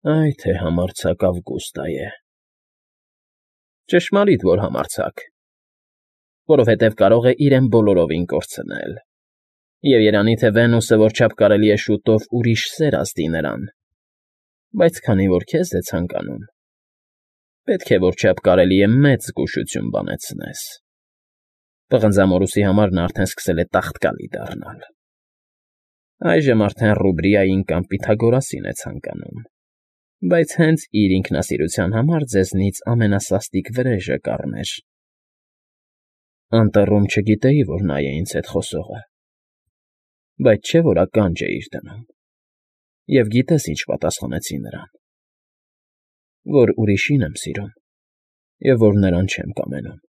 Այ թե համարձակ Ավգուստա է։ Ճշմարիտ, որ համարձակ, որովհետև կարող է իրեն բոլորովին կորցնել, և երանի թե Վենուսը որչափ կարելի է շուտով ուրիշ սեր ազդի նրան, բայց քանի որ քեզ է ցանկանում, պետք է որչափ կարելի է մեծ զգուշություն բանեցնես։ Պղնձամորուսի համար նա արդեն սկսել է տաղտկալի դառնալ։ Այժմ արդեն Ռուբրիային կամ Պյութագորասին է ցանկանում, բայց հենց իր ինքնասիրության համար ձեզնից ամենասաստիկ վրեժը կառներ։ Անտառում չգիտեի, որ նա է ինձ հետ խոսողը, բայց չէ՞ որ ականջ էիր դնում, և գիտես ինչ պատասխանեցի նրան, որ ուրիշին եմ սիրում, և որ նրան չեմ կամենում։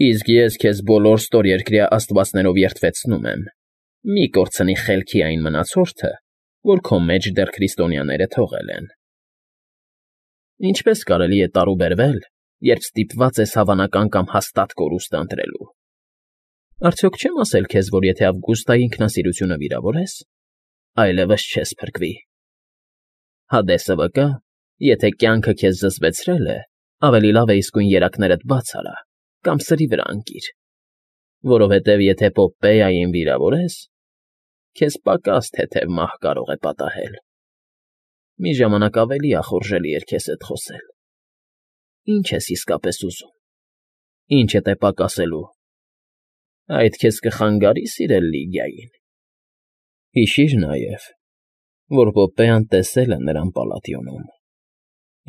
Իսկ ես քեզ բոլոր ստորերկրյա աստվածներով երդվեցնում եմ, մի կորցնի խելքի այն մնացորդը, որ քո մեջ դեռ քրիստոնյաները թողել են։ Ինչպե՞ս կարելի է տարուբերվել, երբ ստիպված ես հավանական կամ հաստատ կորուստ ընտրելու։ Արդյոք չեմ ասել քեզ, որ եթե Ավգուստայի ինքնասիրությունը վիրավորես, այլևս չես փրկվի։ Հադեսը վկա, եթե կյանքը քեզ զզվեցրել է, ավելի լավ է իսկույն երակներդ բաց արա կամ սրի վրա ընկիր, որովհետև եթե Պոպպեյային վիրավորես, քեզ պակաս թեթև մահ կարող է պատահել։ Մի ժամանակ ավելի ախորժելի էր քեզ հետ խոսել։ Ինչ ես իսկապես ուզում, ինչդ է պակասելու։ Այդ քեզ կխանգարի՞ սիրել Լիգիային։ Հիշիր նաև, որ Պոպպեան տեսել է նրան Պալատիոնում,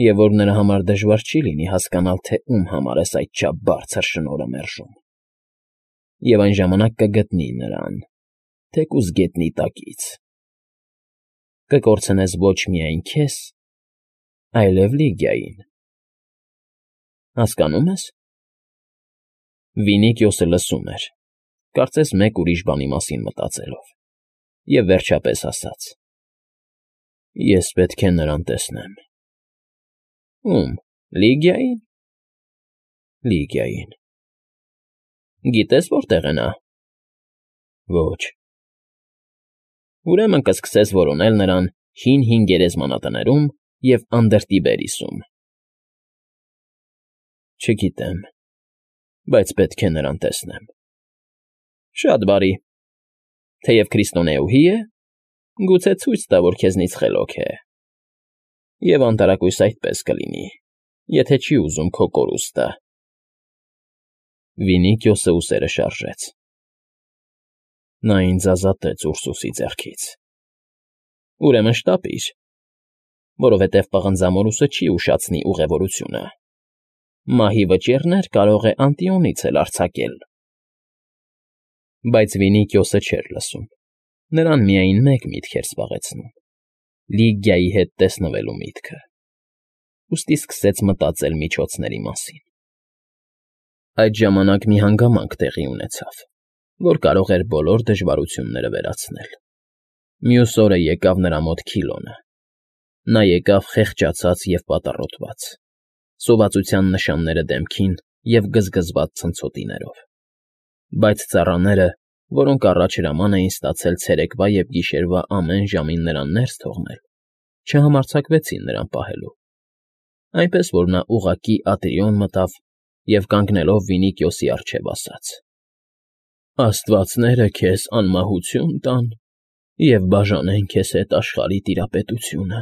և որ նրա համար դժվար չի լինի հասկանալ, թե ում համար ես այդչափ բարձր շնորհը մերժում, և այն ժամանակ կգտնի նրան, թեկուզ գետնի տակից։ Կկորցնես ոչ միայն քեզ, այլև Լիգիային։ Հասկանո՞ւմ ես։ Վինիքիոսը լսում էր, կարծես մեկ ուրիշ բանի մասին մտածելով, և վերջապես ասաց. Ես պետք է նրան տեսնեմ։ Ո՞ւմ, Լիգիայի՞ն։ Լիգիային։ Գիտես որտեղ է նա։ Ոչ։ Ուրեմն կսկսես որոնել նրան հին գերեզմանատներում և Անդրտիբերիսում։ Չգիտեմ, բայց պետք է նրան տեսնեմ։ Շատ բարի։ Թեև քրիստոնեուհի է, գուցե ցույց տա, որ քեզնից խելոք է։ Եվ անտարակույս այդպես կլինի, եթե չի ուզում քո կորուստը։ Վինիքիոսը ուսերը շարժեց։ Նա ինձ ազատեց Ուրսուսի ձեռքից։ Ուրեմն շտապիր, որովհետև Պղնձամորուսը չի ուշացնի ուղևորությունը։ Մահի վճիռներ կարող է Անտիոնից էլ արձակել։ Բայց Վինիքիոսը չէր լսում։ Նրան միայն մեկ միտք էր զբաղեցնում. Լիգիայի հետ տեսնվելու միտքը։ Ուստի սկսեց մտածել միջոցների մասին։ Այդ ժամանակ մի հանգամանք տեղի ունեցավ, որ կարող էր բոլոր դժվարությունները վերացնել։ Մյուս օրը եկավ նրա մոտ Քիլոնը։ Նա եկավ խեղճացած և պատառոտված, սովածության նշանները դեմքին և գզգզված ցնցոտիներով։ Բայց ծառաները, որոնք առաջ հրաման էին ստացել ցերեկվա և գիշերվա ամեն ժամին նրան ներս թողնել, չհամարձակվեցին նրան պահելու, այնպես որ նա ուղղակի Ատիրիոն մտավ և կանգնելով Վինիքիոսի առջև ասաց. Աստվածները քեզ անմահություն տան և բաժանեն քեզ հետ աշխարհի տիրապետությունը։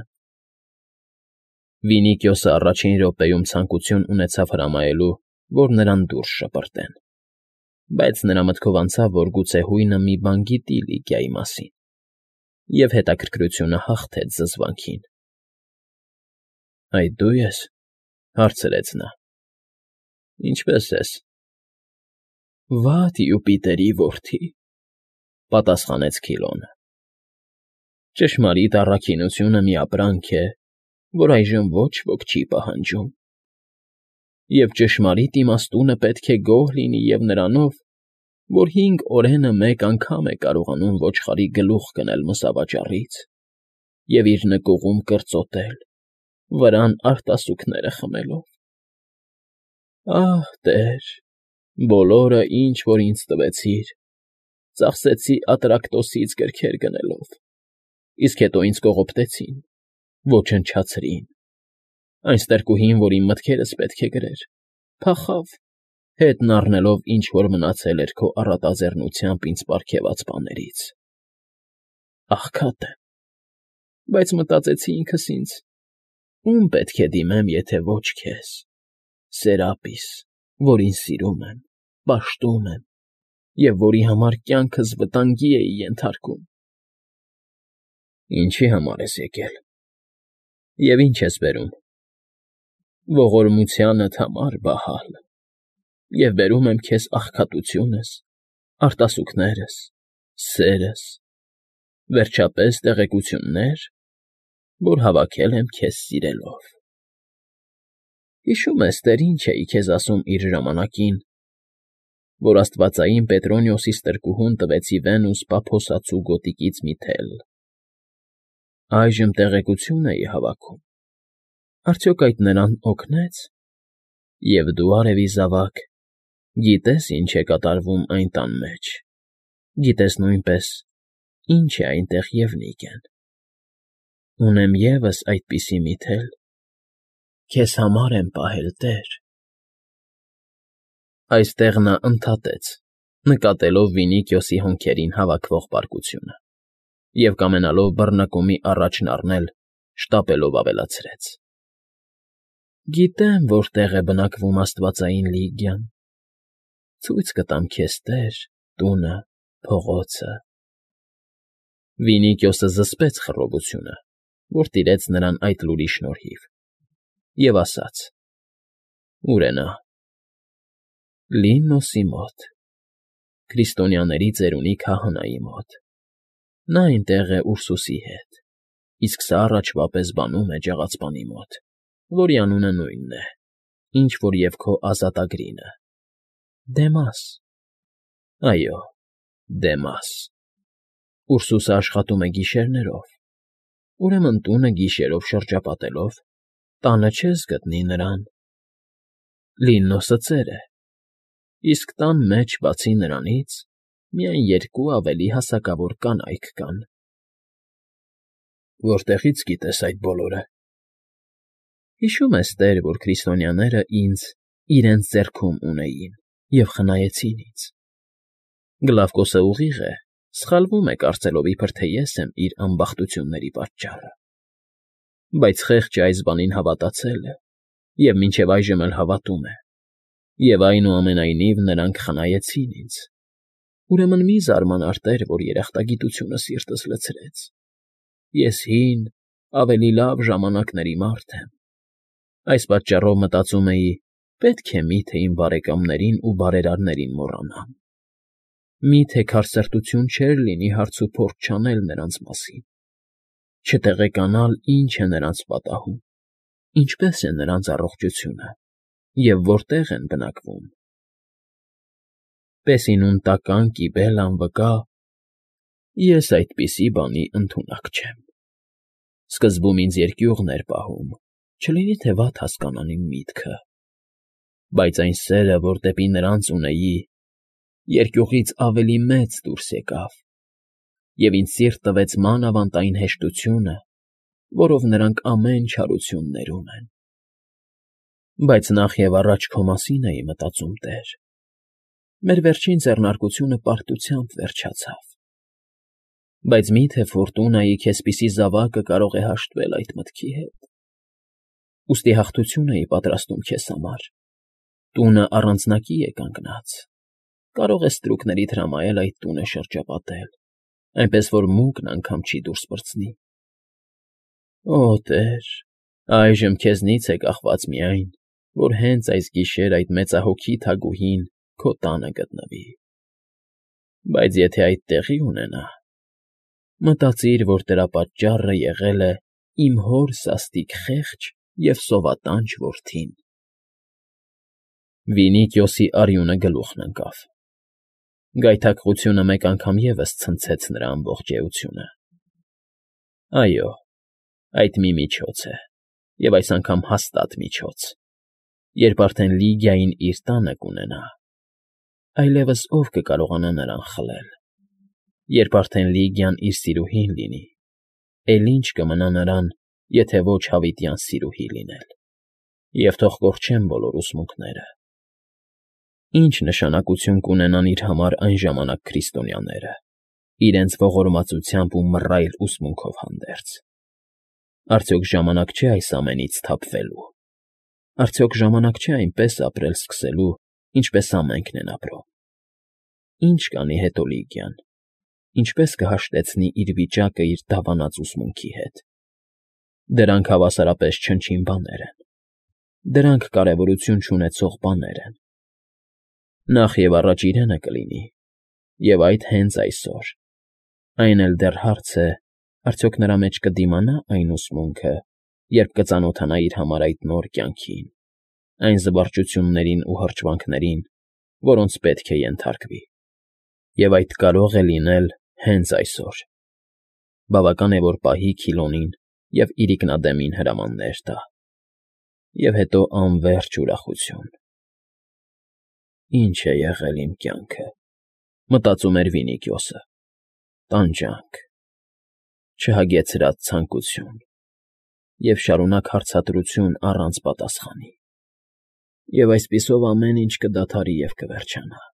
Վինիքիոսը առաջին րոպեում ցանկություն ունեցավ հրամայելու, որ նրան դուրս շպրտեն, բայց նրա մտքով անցավ, որ գուցե հույնը մի բան գիտի Լիգիայի մասին, և հետաքրքրությունը հաղթեց զզվանքին։ Այդ դու ես,֊ հարցրեց նա։ Ինչպե՞ս ես։ Վատ Յուպիտերի որդի,֊ պատասխանեց Քիլոնը։ Ճշմարիտ առաքինությունը մի ապրանք է, որ այժմ ոչ ոք չի պահանջում, և ճշմարիտ իմաստունը պետք է գոհ լինի և նրանով, որ 5 օրենը մեկ անգամ է կարողանում ոչխարի գլուխ գնել մսավաճառից և իր նկուղում կրծոտել, վրան արտասուքները խմելով։ Ահ, Տեր, բոլորը, ինչ որ ինձ տվեցիր, ծախսեցի Ատրակտոսից գրքեր գնելով, իսկ հետո ինձ կողոպտեցին, Ոչնչացրին։ Այն ստրկուհին, որ իմ մտքերս պետք է գրեր, փախավ, հետն առնելով ինչ֊որ մնացել էր քո առատաձեռնությամբ ինձ պարգևած բաներից։ Աղքատ եմ, բայց մտածեցի ինքս ինձ. ում պետք է դիմեմ, եթե ոչ քեզ, Սերապիս, որին սիրում եմ, պաշտում եմ և որի համար կյանքս վտանգի էի ենթարկում։ Ինչի համար ես եկել և ինչ ես բերում։ Ողորմությանդ համար, Բահալ, և բերում եմ քեզ աղքատությունս, արտասուքներս, սերս, վերջապես տեղեկություններ, որ հավաքել եմ քեզ սիրելով։ Հիշում ես, տեր ինչ էի քեզ ասում իր ժամանակին, որ աստվածային Պետրոնիոսի ստրկուհուն տվեցի Վենուս Պափոսացու գոտիկից մի թել։ Այժմ տեղեկություն էի հավաքում, արդյոք այդ նրան օգնեց։ Եվ դու, արևի զավակ, գիտես ինչ է կատարվում այն տան մեջ, գիտես նույնպես ինչ է այնտեղ Եվնիկեն։ Ունեմ ևս այդպիսի մի թել, քեզ համար եմ պահել, տեր։ Այստեղ նա ընդհատեց, նկատելով Վինիքիոսի հոնքերին հավաքվող պարկությունը, և կամենալով բռնկումի առաջն առնել, շտապելով ավելացրեց. Գիտեմ, որտեղ է բնակվում աստվածային Լիգիան, ցույց կտամ քեզ, տեր, տունը, փողոցը։ Վինիքիոսը զսպեց խռովությունը, որ տիրեց նրան այդ լուրի շնորհիվ, և ասաց. Ո՞ւր է նա։ Լիննոսի մոտ, քրիստոնյաների ծերունի քահանայի մոտ։ Նա այնտեղ է Ուրսուսի հետ, իսկ սա առաջվա պես բանում է ջաղացպանի մոտ, որի անունը նույնն է, ինչ որ և քո ազատագրինը՝ Դեմաս։ Այո, Դեմաս։ Ուրսուսը աշխատում է գիշերներով, ուրեմն տունը գիշերով շրջապատելով, տանը չես գտնի նրան։ Լիննոսը ծեր է, իսկ տան մեջ, բացի նրանից, միայն երկու ավելի հասակավոր կանայք կան։ Որտեղի՞ց գիտես այդ բոլորը։ Հիշում ես, տեր, որ քրիստոնյաները ինձ իրենց ձեռքում ունեին և խնայեցին ինձ։ Գլավկոսը ուղիղ է, սխալվում է կարծելով, իբր թե ես եմ իր անբախտությունների պատճառը։ Բայց խեղճը այս բանին հավատացել է և մինչև այժմ էլ հավատում է, և այնուամենայնիվ նրանք խնայեցին ինձ։ Ուրեմն մի զարմանար, տեր, որ երախտագիտությունը սիրտս լցրեց։ Ես հին, ավելի լավ ժամանակների մարդ եմ։ Այս պատճառով մտածում էի, պետք է միթե իմ բարեկամներին ու բարերարներին մոռանամ։ Միթե քարսրտություն չէր լինի հարցուփորձ չանել նրանց մասին, չտեղեկանալ, ինչ է նրանց պատահում, ինչպես է նրանց առողջությունը և որտեղ են բնակվում։ Պեսինուն տական կիբելան վկա, ես այդպիսի բանի ընդունակ չեմ։ Սկզբում ինձ երկյուղն էր պահում, չլինի թե վատ հասկանան իմ միտքը, բայց այն սերը, որ դեպի նրանց ունեի, երկյուղից ավելի մեծ դուրս եկավ, և ինձ սիրտ տվեց մանավանդ այն հեշտությունը, որով նրանք ամեն չարություն ներում են։ Բայց նախ և առաջ քո մասին էի մտածում, տեր։ Մեր վերջին ձեռնարկությունը պարտությամբ վերջացավ։ Բայց մի՞թե Ֆորտունայի քեզպիսի զավակը կարող է հաշտվել այդ մտքի հետ։ Ուստի հաղթություն էի պատրաստում քեզ համար։ Տունը առանձնակի է կանգնած։ Կարող ես ստրուկներիդ հրամայել այդ տունը շրջապատել, այնպես որ մուկն անգամ չի դուրս պրծնի։ Օ, տեր, այժմ քեզնից է կախված միայն, որ հենց այս գիշեր այդ մեծահոգի թագուհին քո տանը գտնվի։ Բայց եթե այդ տեղի ունենա, մտածիր, որ դրա պատճառը եղել է իմ հոր սաստիկ խեղճ և սովատանչ որդին։ Վինիքիոսի արյունը գլուխն ընկավ։ Գայթակղությունը մեկ անգամ ևս ցնցեց նրա ամբողջ էությունը։ Այո, այդ մի միջոց է, և այս անգամ հաստատ միջոց, երբ արդեն Լիգիային իր տանը կունենա, այլևս ով կկարողանա նրան խլել։ Երբ արդեն Լիգիան իր սիրուհին լինի, էլ ինչ կմնա նրան, եթե ոչ հավիտյան սիրուհի լինել, և թող կորչեն բոլոր ուսմունքները։ Ինչ նշանակություն կունենան իր համար այն ժամանակ քրիստոնյաները, իրենց ողորմածությամբ ու մռայլ ուսմունքով հանդերձ։ Արդյոք ժամանակ չէ այս ամենից սթափվելու։ Արդյոք ժամանակ չէ այնպես ապրել սկսելու, ինչպես ամենքն են ապրում։ Ինչ կանի հետո Լիգիան, ինչպես կհաշտեցնի իր վիճակը իր դավանած ուսմունքի հետ։ Դրանք հավասարապես չնչին բաներ են։ Դրանք կարևորություն չունեցող բաներ են։ Նախ և առաջ իրենը կլինի, և այդ հենց այսօր։ Այն էլ դեռ հարց է, արդյոք նրա մեջ կդիմանա այն ուսմունքը, երբ կծանոթանա իր համար այդ նոր կյանքին, այն զվարճություններին ու հրճվանքներին, որոնց պետք է ենթարկվի։ Եվ այդ կարող է լինել հենց այսօր։ Բավական է, որ պահի Քիլոնին և իրիկնադեմին հրամաններ տա։ Եվ հետո անվերջ ուրախություն։ Ինչ է եղել իմ կյանքը, մտածում էր Վինիքյոսը, տանջանք, չհագեցրած ցանկություն և շարունակ հարցադրություն առանց պատասխանի։ Եվ այսպիսով ամեն ինչ կդադարի և կվերջանա։